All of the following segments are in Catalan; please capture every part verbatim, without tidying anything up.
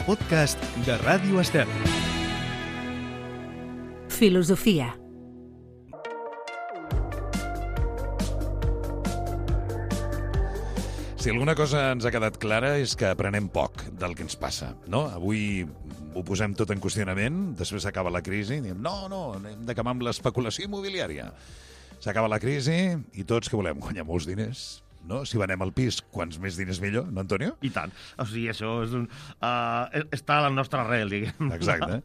els podcasts de Ràdio Estel. Filosofia. Si alguna cosa ens ha quedat clara és que aprenem poc del que ens passa, no? Avui ho posem tot en qüestionament, després s'acaba la crisi i diem no, no, hem d'acabar amb l'especulació immobiliària. S'acaba la crisi i tots que volem guanyar molts diners, no? Si venem al pis, quants més diners millor, no, Antonio? I tant. O sigui, això és un, uh, està a la nostra arrel, diguem. Exacte.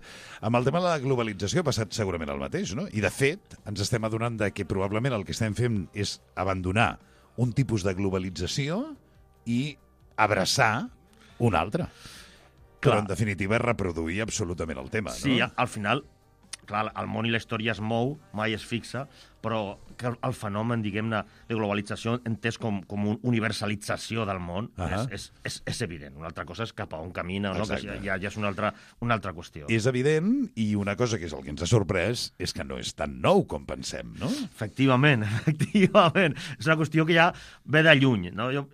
Amb el tema de la globalització ha passat segurament el mateix, no? I, de fet, ens estem adonant de que probablement el que estem fent és abandonar un tipus de globalització i abraçar un altre. Però, en definitiva, és reproduir absolutament el tema, no? Sí, al final, clar, el món i la història es mou, mai es fixa, però que el fenomen, diguem-ne, de globalització entès com, com una universalització del món uh -huh. és, és, és evident. Una altra cosa és cap a on camina, no? Que ja, ja és una altra, una altra qüestió. És evident, i una cosa que és el que ens ha sorprès és que no és tan nou com pensem, no? Efectivament, efectivament. És una qüestió que ja ve de lluny, no? Jo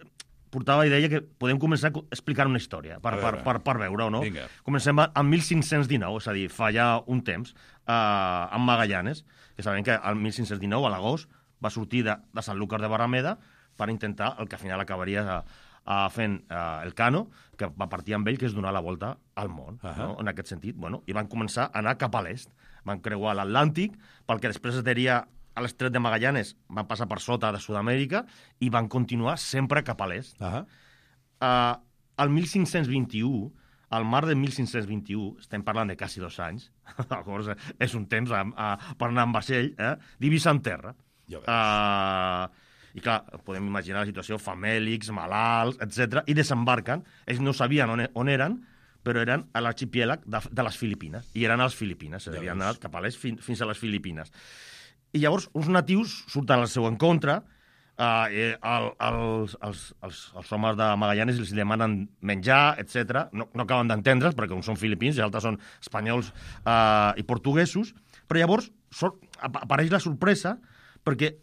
portava i deia que podem començar a explicar una història per, per, per, per veure-ho, no? Vinga. Comencem en mil cinc-cents dinou, és a dir, fa ja un temps, eh, amb Magallanes, que sabem que el mil cinc-cents dinou, a l'agost, va sortir de, de Sant Lucas de Barrameda per intentar el que al final acabaria a, a fent eh, el Cano, que va partir amb ell, que és donar la volta al món, uh -huh. no? En aquest sentit. Bueno, i van començar a anar cap a l'est. Van creuar l'Atlàntic, pel que després es diria a l'estret de Magallanes, van passar per sota de Sud-amèrica i van continuar sempre cap a l'est. Uh -huh. uh, el mil cinc-cents vint-i-u, al mar de mil cinc-cents vint-i-u, estem parlant de quasi dos anys, és un temps a, a, per anar amb vaixell, eh? Divisa en terra. Uh, I clar, podem imaginar la situació, famèlics, malalts, etcètera, i desembarquen. Ells no sabien on, on eren, però eren a l'arxipièlag de, de les Filipines, i eren a les Filipines, s'havien anat cap a l'est fins, fins a les Filipines. I llavors uns natius surten al seu encontre, eh, el, els, els, els, els homes de Magallanes els demanen menjar, etcètera. No, no acaben d'entendre's, perquè uns són filipins i altres són espanyols eh, i portuguesos, però llavors sort, apareix la sorpresa perquè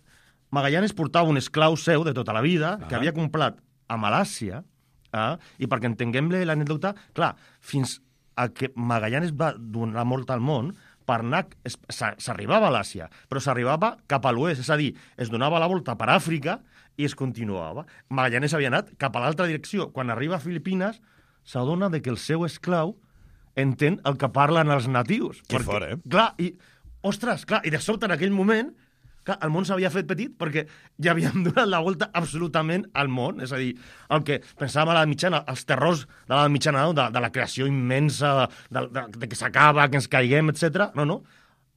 Magallanes portava un esclau seu de tota la vida, ah. que havia comprat a Malàcia, eh, i perquè entenguem l'anècdota, clar, fins a que Magallanes va donar mort al món, per anar, s'arribava a l'Àsia, però s'arribava cap a l'oest, és a dir, es donava la volta per Àfrica i es continuava. Magallanes havia anat cap a l'altra direcció. Quan arriba a Filipines, s'adona que el seu esclau entén el que parlen els natius. Que fort, eh? Clar, i, ostres, clar, i de sobte en aquell moment, clar, el món s'havia fet petit perquè ja havíem donat la volta absolutament al món. És a dir, el que pensàvem a l'edat mitjana, els terrors de l'edat mitjana, no? de, de la creació immensa, de, de, de que s'acaba, que ens caiguem, etcètera. No, no.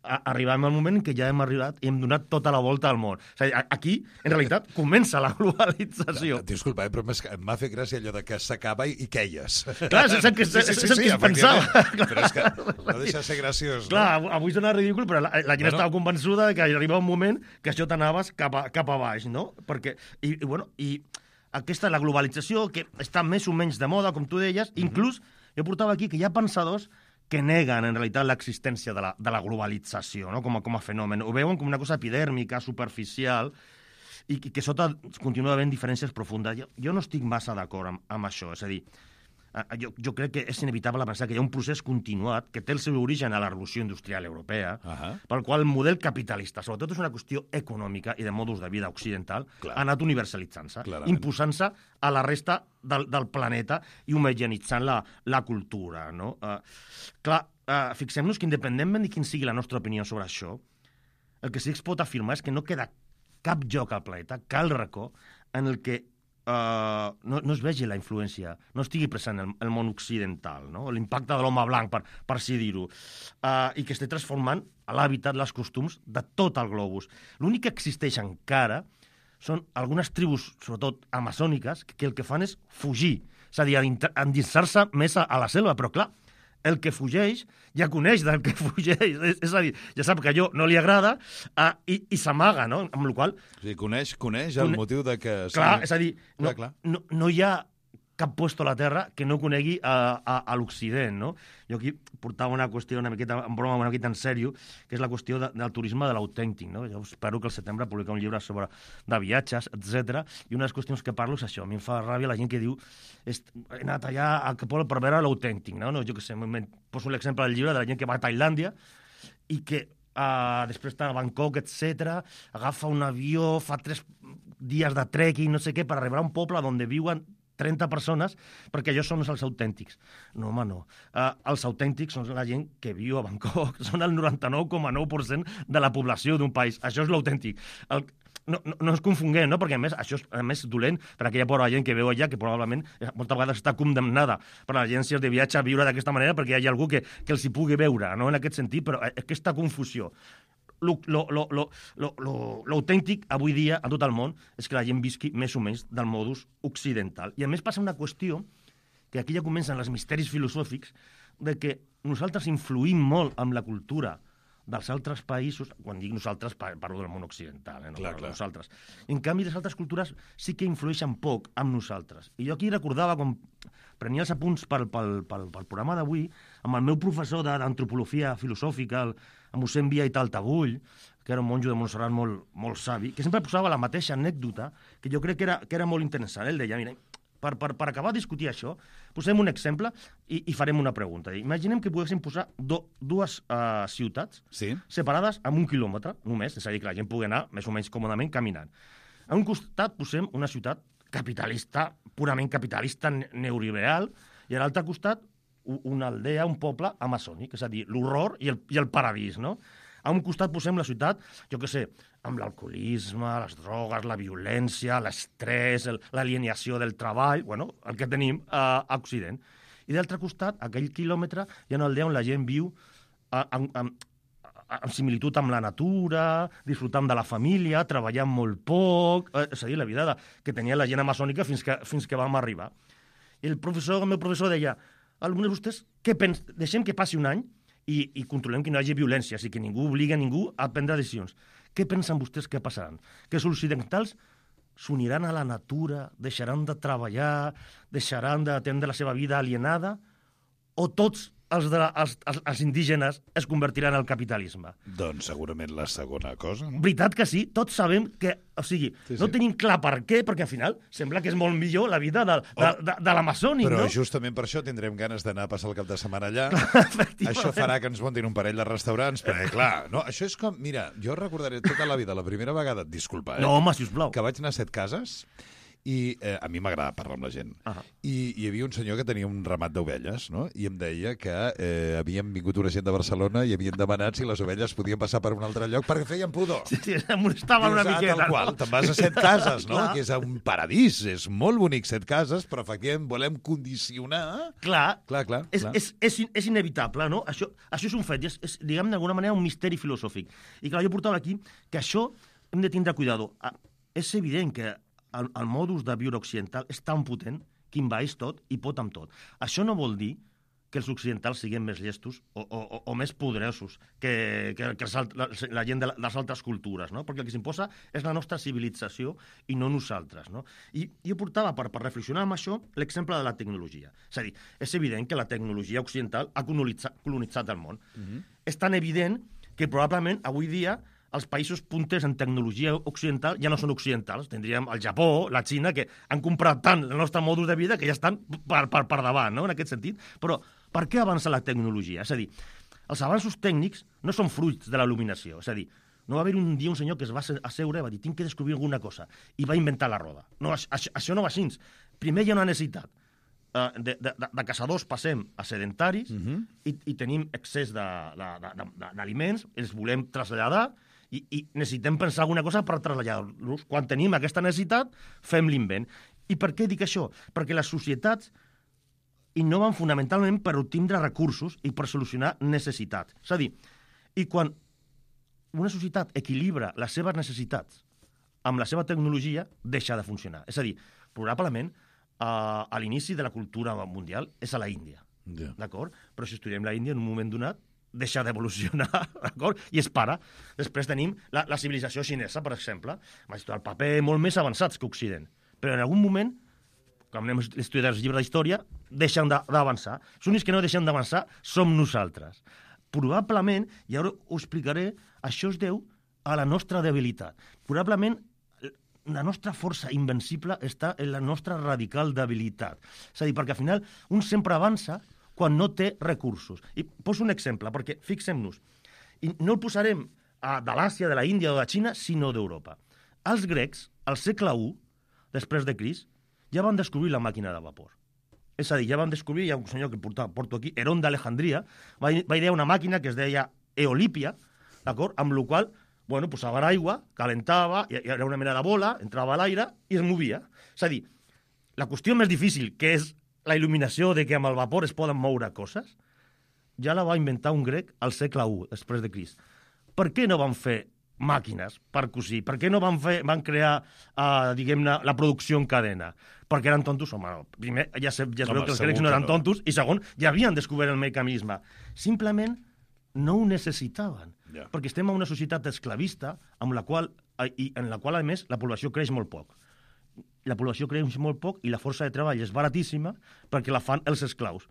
Arribem al moment en què ja hem arribat i hem donat tota la volta al món. És a dir, aquí, en realitat, comença la globalització. Disculpa, eh, però m'ha fet gràcia allò de que s'acaba i queies. Clar, és el que, sí, sí, sí, és el que sí, es pensava. Però és que no deixa de ser graciós. Clar, no? Avui sona ridícul, però la, la gent bueno. estava convençuda que arriba un moment que això t'anaves cap, a, cap a baix, no? Perquè, i, i, bueno, i aquesta, la globalització, que està més o menys de moda, com tu deies, mm-hmm. inclús, jo portava aquí que hi ha pensadors que neguen, en realitat, l'existència de, la, de la globalització, no? com, a, com a fenomen. Ho veuen com una cosa epidèrmica, superficial, i, i que sota continua havent diferències profundes. Jo, jo no estic massa d'acord amb, amb això. És a dir, jo, jo crec que és inevitable pensar que hi ha un procés continuat que té el seu origen a la revolució industrial europea, uh -huh. pel qual el model capitalista, sobretot és una qüestió econòmica i de modus de vida occidental, Clar. ha anat universalitzant-se, imposant-se a la resta del, del planeta i homogeneïtzant la, la cultura. No? Uh, clar, uh, fixem-nos que independentment de quin sigui la nostra opinió sobre això, el que sí que es pot afirmar és que no queda cap lloc al planeta, cap racó, en el que Uh, no, no es vegi la influència, no estigui present el, el món occidental, no? L'impacte de l'home blanc, per, per així dir-ho, uh, i que esté transformant l'hàbitat, les costums de tot el globus. L'únic que existeix encara són algunes tribus, sobretot amazòniques, que, que el que fan és fugir, és a dir, endinsar-se més a, a la selva, però clar, el que fugeix ja coneix del que fugeix, és, és a dir, ja sap que a allò no li agrada uh, i, i s'amaga, no? Amb la qual cosa... O sigui, coneix, coneix el Cone... motiu de que... Clar, és a dir, no, clar, clar. No, no hi ha cap puesto a la Terra que no conegui a, a, a l'Occident, no? Jo aquí portava una qüestió una miqueta, en broma, una miqueta en sèrio, que és la qüestió de, del turisme de l'autèntic, no? Jo espero que al setembre publicar un llibre sobre de viatges, etcètera. I una de les qüestions que parlo és això. A mi em fa ràbia la gent que diu he anat allà a Capol per veure l'autèntic, no? no? Jo què sé, poso l'exemple del llibre de la gent que va a Tailàndia i que uh, després està a Bangkok, etcètera, agafa un avió, fa tres dies de trekking, no sé què, per arribar a un poble on viuen trenta persones, perquè ells són els autèntics. No, home, no. Uh, els autèntics són la gent que viu a Bangkok, són el noranta-nou coma nou per cent de la població d'un país. Això és l'autèntic. El... No, no, no ens confonguem, no? Perquè a més això és a més dolent per aquella pobra gent que veu allà, que probablement moltes vegades està condemnada per les agències de viatge a viure d'aquesta manera perquè hi ha algú que, que els hi pugui veure, no? En aquest sentit, però aquesta confusió. L'autèntic avui dia a tot el món és que la gent visqui més o menys del modus occidental. I a més passa una qüestió que aquí ja comencen els misteris filosòfics de que nosaltres influïm molt amb la cultura dels altres països, quan dic nosaltres parlo del món occidental, eh? no clar, clar. Nosaltres. En canvi, les altres cultures sí que influeixen poc amb nosaltres. I jo aquí recordava, com prenia els apunts pel, pel, pel, pel programa d'avui, amb el meu professor d'antropologia filosòfica, el, el mossèn Via i Taltabull, que era un monjo de Montserrat molt, molt savi, que sempre posava la mateixa anècdota, que jo crec que era, que era molt interessant. Ell deia, mira, Per, per, per acabar de discutir això, posem un exemple i, i farem una pregunta. Imaginem que poguéssim posar do, dues uh, ciutats sí. separades amb un quilòmetre, només, és a dir, que la gent pugui anar més o menys còmodament caminant. A un costat posem una ciutat capitalista, purament capitalista, neoliberal, i a l'altre costat una aldea, un poble amazònic, és a dir, l'horror i, el, i el paradís, no? A un costat posem la ciutat, jo què sé, amb l'alcoholisme, les drogues, la violència, l'estrès, l'alienació del treball, bueno, el que tenim a, a Occident. I d'altre costat, aquell quilòmetre, hi ha una aldea on la gent viu amb, amb, amb similitud amb la natura, disfrutant de la família, treballant molt poc, és a dir, la vida de, que tenia la gent amazònica fins que, fins que vam arribar. I el professor, el meu professor deia, alguns de vostès, què pens... deixem que passi un any i, i controlem que no hi hagi violència, així que ningú obliga a ningú a prendre decisions. Què pensen vostès que passaran? Que els occidentals s'uniran a la natura, deixaran de treballar, deixaran d'atendre la seva vida alienada, o tots els, de, els, els, els indígenes es convertiran al capitalisme? Doncs segurament la segona cosa, no? Veritat que sí, tots sabem que... O sigui, sí, sí. no tenim clar per què, perquè al final sembla que és molt millor la vida de, de, oh, de, de l'amazònic, però no? Però justament per això tindrem ganes d'anar a passar el cap de setmana allà. Això farà que ens muntin un parell de restaurants, perquè, clar, no, això és com... Mira, jo recordaré tota la vida, la primera vegada, disculpa, eh? No, home, sisplau. Que vaig anar a Set Cases i eh, a mi m'agrada parlar amb la gent. Uh -huh. I hi havia un senyor que tenia un ramat d'ovelles, no? I em deia que eh, havien vingut una gent de Barcelona i havien demanat si les ovelles podien passar per un altre lloc perquè feien pudor. Sí, sí, em molestaven una miqueta. Tal qual, te'n vas a Set Cases, no? Que és un paradís, és molt bonic Set Cases, però efectivament volem condicionar... Clar, clar, clar, és, clar. És, és, és inevitable, no? Això, això és un fet, és, és diguem d'alguna manera, un misteri filosòfic. I clar, jo portava aquí que això hem de tindre cuidado. És evident que El, el modus de viure occidental és tan potent que envaeix tot i pot amb tot. Això no vol dir que els occidentals siguin més llestos o, o, o més poderosos que, que, que els, la, la gent de les altres cultures, no? Perquè el que s'imposa és la nostra civilització i no nosaltres, no? I jo portava, per, per reflexionar amb això, l'exemple de la tecnologia. És a dir, és evident que la tecnologia occidental ha colonitzat, colonitzat el món. Uh-huh. És tan evident que probablement avui dia els països punters en tecnologia occidental ja no són occidentals. Tindríem el Japó, la Xina, que han comprat tant el nostre modus de vida que ja estan per, per, per davant, no?, en aquest sentit. Però per què avança la tecnologia? És a dir, els avanços tècnics no són fruits de la il·luminació. És a dir, no va haver un dia un senyor que es va asseure i va dir tinc que descobrir alguna cosa, i va inventar la roda. No, això, això no va així. Primer hi ha una necessitat. De, de, de caçadors passem a sedentaris uh-huh. i, i tenim excés d'aliments, els volem traslladar, I, i necessitem pensar alguna cosa per traslladar-los. Quan tenim aquesta necessitat, fem l'invent. I per què dic això? Perquè les societats innoven fonamentalment per obtindre recursos i per solucionar necessitats. És a dir, i quan una societat equilibra les seves necessitats amb la seva tecnologia, deixa de funcionar. És a dir, probablement, a, a l'inici de la cultura mundial és a la Índia. Yeah. D'acord? Però si estudiem la Índia, en un moment donat, deixa d'evolucionar, d'acord? I es para. Després tenim la, la civilització xinesa, per exemple, amb el paper molt més avançats que Occident. Però en algun moment quan anem a estudiar els llibres d'història, deixen d'avançar. Els únics que no deixen d'avançar som nosaltres. Probablement, i ara ho explicaré, això es deu a la nostra debilitat. Probablement la nostra força invencible està en la nostra radical debilitat. És a dir, perquè al final un sempre avança quan no té recursos. I poso un exemple, perquè fixem-nos, i no el posarem a, de l'Àsia, de la Índia o de la Xina, sinó d'Europa. Els grecs, al segle u, després de Crist, ja van descobrir la màquina de vapor. És a dir, ja van descobrir, hi ha un senyor que porta, porto aquí, Herón d'Alejandria, va, va idear una màquina que es deia Eolípia, d'acord? Amb la qual, bueno, posava l'aigua, calentava, i era una mena de bola, entrava a l'aire i es movia. És a dir, la qüestió més difícil, que és la il·luminació de que amb el vapor es poden moure coses, ja la va inventar un grec al segle u, després de Crist. Per què no van fer màquines per cosir? Per què no van, fer, van crear, uh, diguem-ne, la producció en cadena? Perquè eren tontos? Home, primer, ja, se, ja es veu que els grecs no eren tontos, i segon, ja havien descobert el mecanisme. Simplement no ho necessitaven, yeah. perquè estem en una societat esclavista amb la qual, i en la qual, a més, la població creix molt poc. La població creix molt poc i la força de treball és baratíssima perquè la fan els esclaus.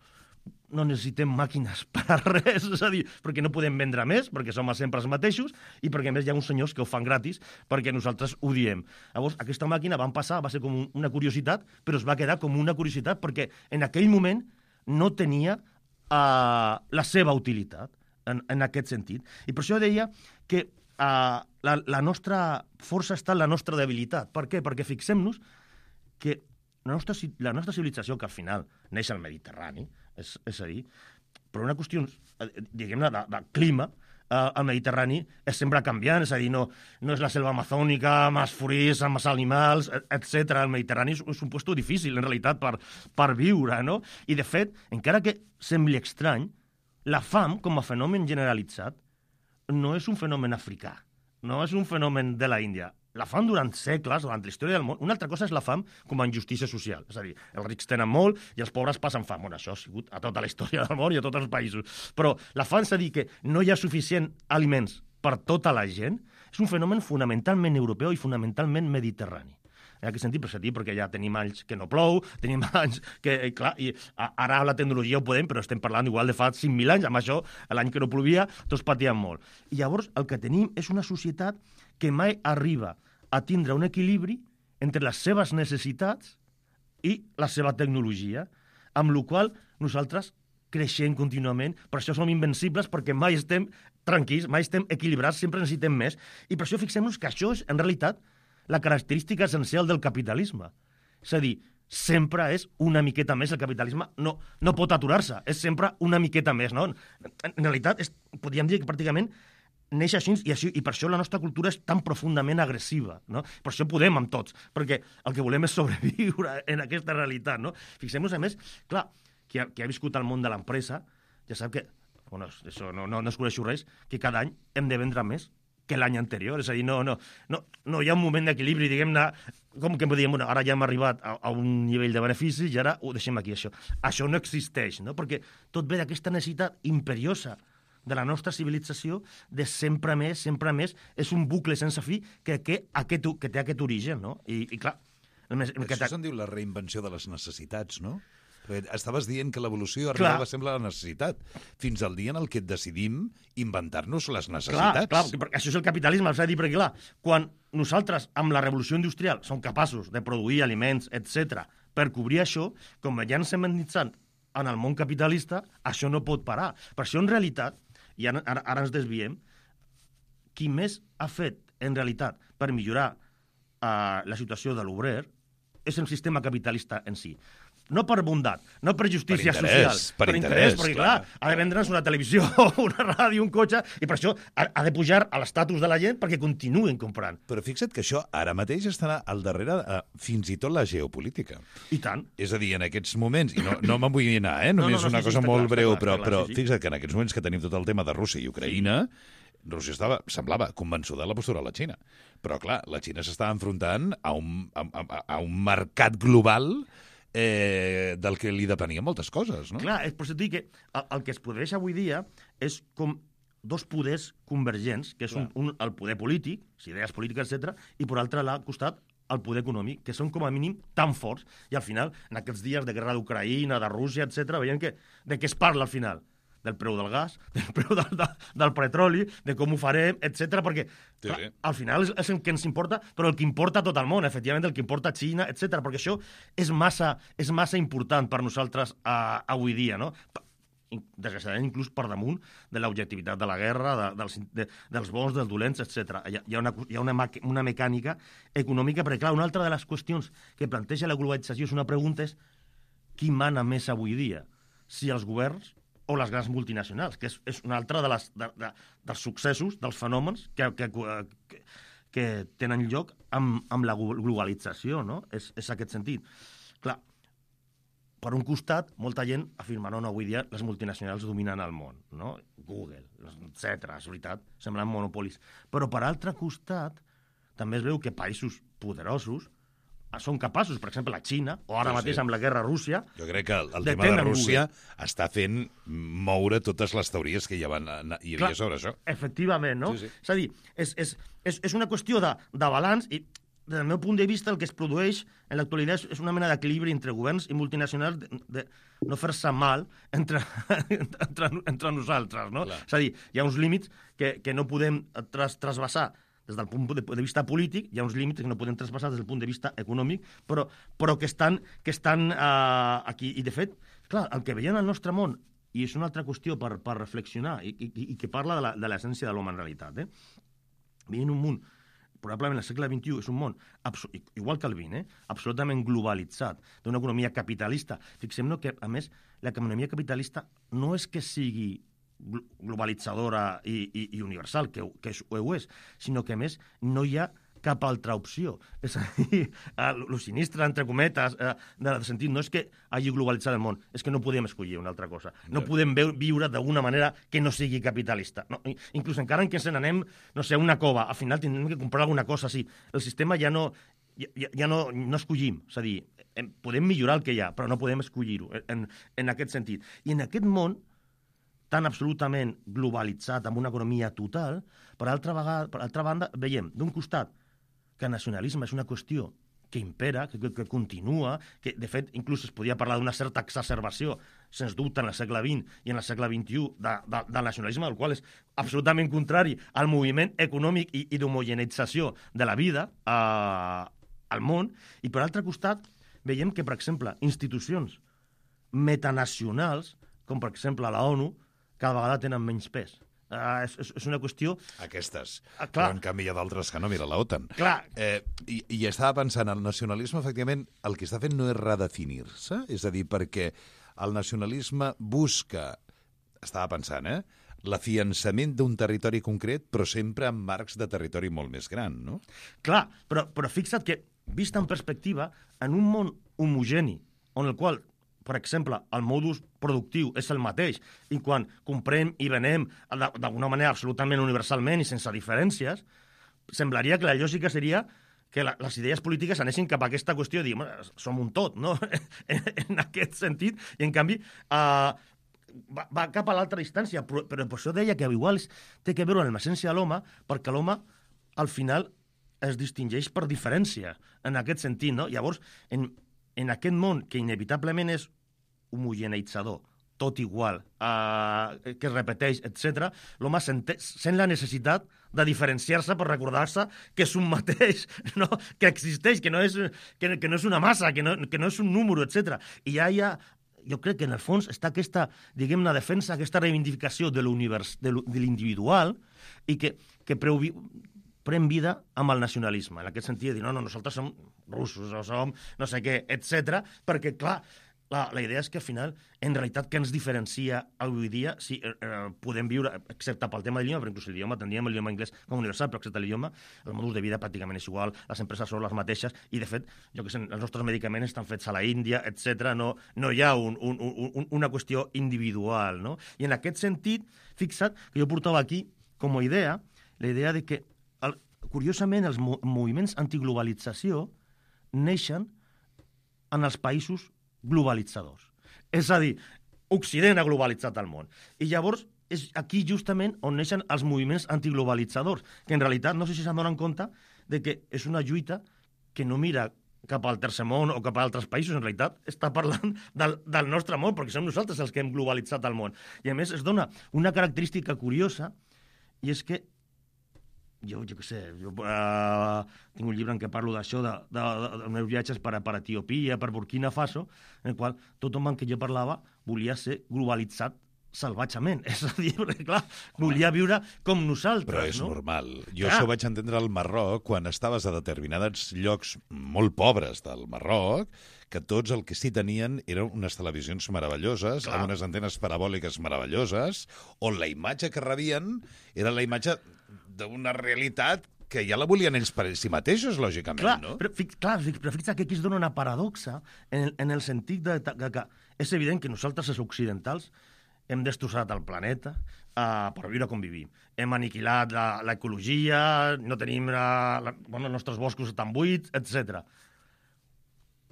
No necessitem màquines per a res, és a dir, perquè no podem vendre més, perquè som sempre els mateixos, i perquè a més hi ha uns senyors que ho fan gratis perquè nosaltres ho diem. Llavors, aquesta màquina van passar, va ser com una curiositat, però es va quedar com una curiositat perquè en aquell moment no tenia uh, la seva utilitat en, en aquest sentit. I per això deia que uh, la, la nostra força està en la nostra debilitat. Per què? Perquè fixem-nos que la nostra, la nostra civilització, que al final neix al Mediterrani, és, és a dir, per una qüestió, diguem-ne, de, de clima, eh, el Mediterrani és sempre canviant, és a dir, no, no és la selva amazònica, amb els forís, amb els animals, etcètera. El Mediterrani és, és un lloc difícil, en realitat, per, per viure, no? I, de fet, encara que sembli estrany, la fam, com a fenomen generalitzat, no és un fenomen africà, no és un fenomen de la Índia. La fam durant segles, durant la història del món, una altra cosa és la fam com a injustícia social. És a dir, els rics tenen molt i els pobres passen fam. Bueno, això ha sigut a tota la història del món i a tots els països. Però la fam, és a dir, que no hi ha suficient aliments per tota la gent, és un fenomen fonamentalment europeu i fonamentalment mediterrani. En aquest sentit, per sentit, perquè ja tenim anys que no plou, tenim anys que, clar, i ara la tecnologia ho podem, però estem parlant igual de fa cinc mil anys, amb això, l'any que no plovia, tots patíem molt. I llavors el que tenim és una societat que mai arriba a tindre un equilibri entre les seves necessitats i la seva tecnologia, amb la qual nosaltres creixem contínuament, per això som invencibles, perquè mai estem tranquils, mai estem equilibrats, sempre necessitem més, i per això fixem-nos que això és, en realitat, la característica essencial del capitalisme. És a dir, sempre és una miqueta més, el capitalisme no, no pot aturar-se, és sempre una miqueta més, no? En realitat, és, podríem dir que pràcticament neix així, i, així, i per això la nostra cultura és tan profundament agressiva, no? Per això podem amb tots, perquè el que volem és sobreviure en aquesta realitat, no? Fixem-nos, a més, clar, qui ha, qui ha viscut al món de l'empresa, ja sap que, bueno, això no, no, no es coneixo res, que cada any hem de vendre més que l'any anterior, és a dir, no, no, no, no hi ha un moment d'equilibri, diguem-ne, com que podríem, bueno, ara ja hem arribat a, a un nivell de beneficis i ara ho deixem aquí, això. Això no existeix, no? Perquè tot ve d'aquesta necessitat imperiosa de la nostra civilització de sempre més, sempre més, és un bucle sense fi que, que, aquest, que té aquest origen, no? I, i clar... El més, el Això que se'n diu la reinvenció de les necessitats, no? Estaves dient que l'evolució arribava sempre a la necessitat, fins al dia en el que decidim inventar-nos les necessitats. Clar, clar, perquè això és el capitalisme, és a dir, perquè clar, quan nosaltres, amb la revolució industrial, som capaços de produir aliments, etcètera, per cobrir això, com ja ens hem endinsat en el món capitalista, això no pot parar. Per això, en realitat, i ara, ara, ara ens desviem, qui més ha fet, en realitat, per millorar uh, la situació de l'obrer és el sistema capitalista en si. No per bondat, no per justícia per interès, social, per, per interès, interès, perquè clar, clar ha de vendre'ns una televisió, una ràdio, un cotxe, i per això ha, ha de pujar a l'estatus de la gent perquè continuen comprant. Però fixa't que això ara mateix estarà al darrere eh, fins i tot la geopolítica. I tant. És a dir, en aquests moments, i no, no me'n vull anar, eh? només no, no, no, una sí, cosa sí, molt clar, breu, clar, però, clar, però sí, sí. Fixa't que en aquests moments que tenim tot el tema de Rússia i Ucraïna, Rússia estava, semblava convençuda de la postura de la Xina. Però, clar, la Xina s'està enfrontant a un, a, a, a un mercat global eh, del que li depenien moltes coses, no? Clar, és per això que el, el que es produeix avui dia és com dos poders convergents, que és un, un, el poder polític, idees polítiques, etcètera, i per altre costat al poder econòmic, que són com a mínim tan forts, i al final, en aquests dies de guerra d'Ucraïna, de Rússia, etcètera, veiem que de què es parla al final? Del preu del gas, del preu del, del, del petroli, de com ho farem, etcètera, perquè Sí, clar, sí. al final és, és el que ens importa, però el que importa a tot el món, efectivament, el que importa a Xina, etcètera, perquè això és massa, és massa important per nosaltres uh, avui dia, no? Desgraciadament, inclús per damunt de l'objectivitat de la guerra, de, dels, de, dels bons, dels dolents, etcètera. Hi ha, hi ha, una, hi ha una, una mecànica econòmica, perquè, clar, una altra de les qüestions que planteja la globalització és una pregunta és qui mana més avui dia? Si els governs o les grans multinacionals, que és, és una altra de les, de, de, dels successos, dels fenòmens que, que, que, que tenen lloc amb, amb la globalització, no? És, és aquest sentit. Clar, per un costat, molta gent afirma no, no, avui dia les multinacionals dominen el món, no? Google, etcètera, és veritat, semblen monopolis. Però per altre costat, també es veu que països poderosos són capaços, per exemple, la Xina, o ara Sí, sí. mateix amb la guerra a Rússia... Jo crec que el, el de tema de tenen Rússia Google. està fent moure totes les teories que hi, havia, hi havia Clar, sobre això. Efectivament, no? Sí, sí. És a dir, és, és, és, és una qüestió de, de balanç i, des del meu punt de vista, el que es produeix en l'actualitat és una mena d'equilibri entre governs i multinacionals de, de no fer-se mal entre, entre, entre nosaltres, no? Clar. És a dir, hi ha uns límits que, que no podem tras, trasbassar des del punt de, de vista polític, hi ha uns límits que no podem traspassar des del punt de vista econòmic, però, però que estan, que estan uh, aquí. I, de fet, clar, el que veiem al nostre món, i és una altra qüestió per, per reflexionar, i, i, i que parla de l'essència de l'home en realitat, eh? Veiem un món, probablement el segle vint-i-u és un món, igual que el vint, eh? absolutament globalitzat, d'una economia capitalista. Fixem-nos que, a més, l'economia capitalista no és que sigui globalitzadora i, i, i universal, que, que ho és, sinó que, a més, no hi ha cap altra opció. És a dir, el sinistre, entre cometes, eh, del sentit, no és que hagi globalitzat el món, és que no podem escollir una altra cosa. No Ja. podem viure d'alguna manera que no sigui capitalista. No, inclús encara que ens n'anem, no sé, a una cova, al final tindrem que comprar alguna cosa així. El sistema ja no, ja, ja no, no escollim. És a dir, podem millorar el que hi ha, però no podem escollir-ho en, en aquest sentit. I en aquest món tan absolutament globalitzat, amb una economia total, per altra, vegada, per altra banda, veiem, d'un costat, que el nacionalisme és una qüestió que impera, que, que, que continua, que, de fet, inclús es podia parlar d'una certa exacerbació, sens dubte, en el segle vint i en el segle vint-i-u, de, de, del nacionalisme, el qual és absolutament contrari al moviment econòmic i, i d'homogeneïtzació de la vida eh, al món. I, per altre costat, veiem que, per exemple, institucions metanacionals, com, per exemple, la ONU, cada vegada tenen menys pes. Uh, és, és una qüestió... Aquestes. Ah, Però clar. en canvi hi ha d'altres que no. Mira, la OTAN. Clar. Eh, i, I estava pensant, el nacionalisme, efectivament, el que està fent no és redefinir-se, és a dir, perquè el nacionalisme busca, estava pensant, eh, l'afiançament d'un territori concret, però sempre en marcs de territori molt més gran, no? Clar, però, però fixa't que, vist en perspectiva, en un món homogeni, on el qual, per exemple, el modus productiu és el mateix, i quan comprem i venem d'alguna manera absolutament universalment i sense diferències, semblaria que la lògica seria que la, les idees polítiques anessin cap a aquesta qüestió de dir, som un tot, no? en, en aquest sentit, i en canvi uh, va, va cap a l'altra distància, però, però per això deia que igual té que veure amb l'essència de l'home, perquè l'home, al final, es distingeix per diferència, en aquest sentit, no? Llavors, en, en aquest món que inevitablement és homogeneitzador, tot igual, eh, que es repeteix, etcètera, l'home sent, sent la necessitat de diferenciar-se per recordar-se que és un mateix, no? Que existeix, que no és, que, que no és una massa, que no, que no és un número, etcètera. I ja hi ha, jo crec que en el fons està aquesta, diguem-ne, defensa, aquesta reivindicació de l'individual i que, que preu, pren vida amb el nacionalisme, en aquest sentit de dir, no, no, nosaltres som russos o som no sé què, etcètera, perquè, clar, la, la idea és que, al final, en realitat, què ens diferencia avui dia si eh, podem viure, excepte pel tema de l'idioma, però inclús l'idioma, tindríem l'idioma anglès com universal, però excepte l'idioma, el modus de vida pràcticament és igual, les empreses són les mateixes, i, de fet, jo que sé, els nostres medicaments estan fets a la Índia, etcètera. No, no hi ha un, un, un, una qüestió individual, no? I en aquest sentit, fixa't que jo portava aquí, com a idea, la idea de que el, curiosament, els mo moviments antiglobalització neixen en els països globalitzadors. És a dir, Occident ha globalitzat el món. I llavors és aquí justament on neixen els moviments antiglobalitzadors, que en realitat no sé si se'n donen compte de que és una lluita que no mira cap al tercer món o cap a altres països, en realitat està parlant del, del nostre món, perquè som nosaltres els que hem globalitzat el món. I a més es dona una característica curiosa, i és que jo, jo què sé, jo uh, tinc un llibre en què parlo d'això, de, de, de, dels meus viatges per, per Etiòpia, per Burkina Faso, en el qual tot home en què jo parlava volia ser globalitzat salvatgement. És a dir, perquè, clar, volia viure com nosaltres, Però és no? normal. Jo Clar. això vaig entendre al Marroc quan estaves a determinats llocs molt pobres del Marroc, que tots el que sí tenien eren unes televisions meravelloses, Clar. amb unes antenes parabòliques meravelloses, on la imatge que rebien era la imatge d'una realitat que ja la volien ells per si mateixos, lògicament, Clar, no? però, fi- clar, fi- però fixa't que aquí es dona una paradoxa en el, en el sentit de, de, de que és evident que nosaltres, els occidentals, hem destrossat el planeta uh, per viure com vivim. Hem aniquilat la- l'ecologia, no tenim la, la, bueno, els nostres boscos estan buits, etcètera.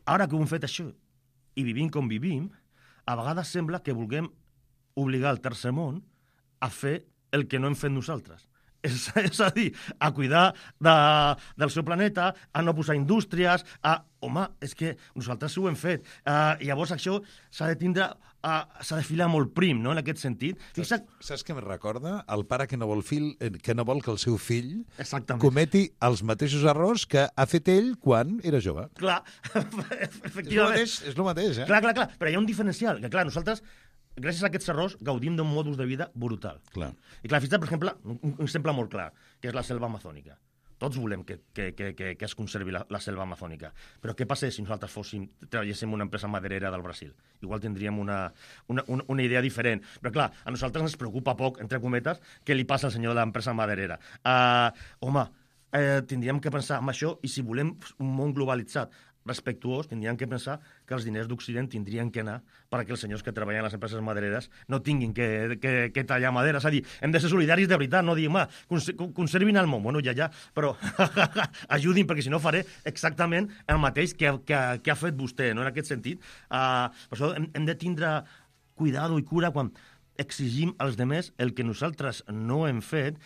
Ara que ho hem fet això i vivim com vivim, a vegades sembla que vulguem obligar el tercer món a fer el que no hem fet nosaltres. És, és a dir, a cuidar de, del seu planeta, a no posar indústries, a... Home, és que nosaltres ho hem fet. Uh, llavors això s'ha de tindre... Uh, s'ha de filar molt prim, no?, en aquest sentit. Fixa't... Saps, saps què em recorda? El pare que no vol, fil, eh, que no vol que el seu fill Exactament. cometi els mateixos errors que ha fet ell quan era jove. Clar, És el efectivament. mateix, és el mateix, eh? Clar, clar, clar. Però hi ha un diferencial, que clar, nosaltres, gràcies a aquests errors, gaudim d'un modus de vida brutal. Clar. I clar, fixa't, per exemple, un, un exemple molt clar, que és la selva amazònica. Tots volem que, que, que, que, que es conservi la, la selva amazònica. Però què passa si nosaltres fóssim, treballéssim una empresa maderera del Brasil? Igual tindríem una, una, una, una idea diferent. Però clar, a nosaltres ens preocupa poc, entre cometes, què li passa al senyor de l'empresa maderera. Uh, home, eh, tindríem que pensar en això, i si volem un món globalitzat, respectuós, tindrien que pensar que els diners d'Occident tindrien que anar perquè els senyors que treballen a les empreses madereres no tinguin que, que, que tallar madera. És a dir, hem de ser solidaris de veritat, no dir, home, conservin el món. Bueno, ja, ja, però ajudin, perquè si no faré exactament el mateix que, que, que ha fet vostè, no?, en aquest sentit. Uh, per això hem, hem de tindre cuidado i cura quan exigim als demés el que nosaltres no hem fet,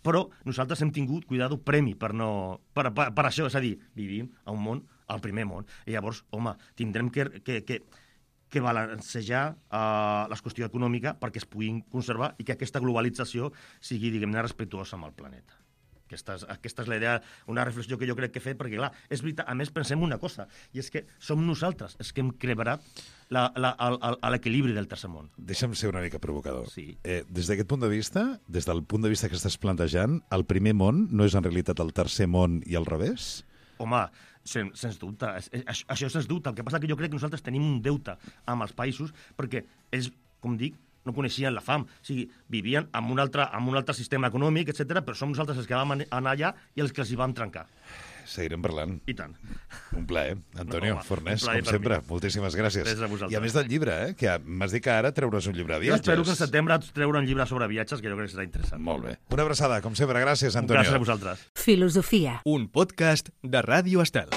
però nosaltres hem tingut, cuidado, premi per, no, per, per, per això. És a dir, vivim a un món, al primer món, i llavors, home, tindrem que, que, que, que balancejar uh, la qüestió econòmica perquè es puguin conservar i que aquesta globalització sigui, diguem-ne, respectuosa amb el planeta. Aquesta és, aquesta és la idea, una reflexió que jo crec que he fet, perquè, clar, és veritat, a més pensem una cosa, i és que som nosaltres els que hem crebat l'equilibri del tercer món. Deixa'm ser una mica provocador. Sí. Eh, des d'aquest punt de vista, des del punt de vista que estàs plantejant, el primer món no és en realitat el tercer món i al revés? Home, sens, sens dubte, això, això sens dubte. El que passa que jo crec que nosaltres tenim un deute amb els països perquè ells, com dic, no coneixien la fam. O sigui, vivien amb un altre, amb un altre sistema econòmic, etcètera, però som nosaltres els que vam anar allà i els que els hi vam trencar. Seguirem parlant. I tant. Un plaer. Antonio No, home, Fornés, un plaer com per sempre. mi. Moltíssimes gràcies. Gràcies a vosaltres. I a més del llibre, eh, que m'has dit que ara treuràs un llibre de Jo viatges. espero que en setembre treure un llibre sobre viatges, que jo crec que serà interessant. Molt bé. Una abraçada, com sempre. Gràcies, Antonio. Gràcies a vosaltres. Filosofia. Un podcast de Ràdio Estel.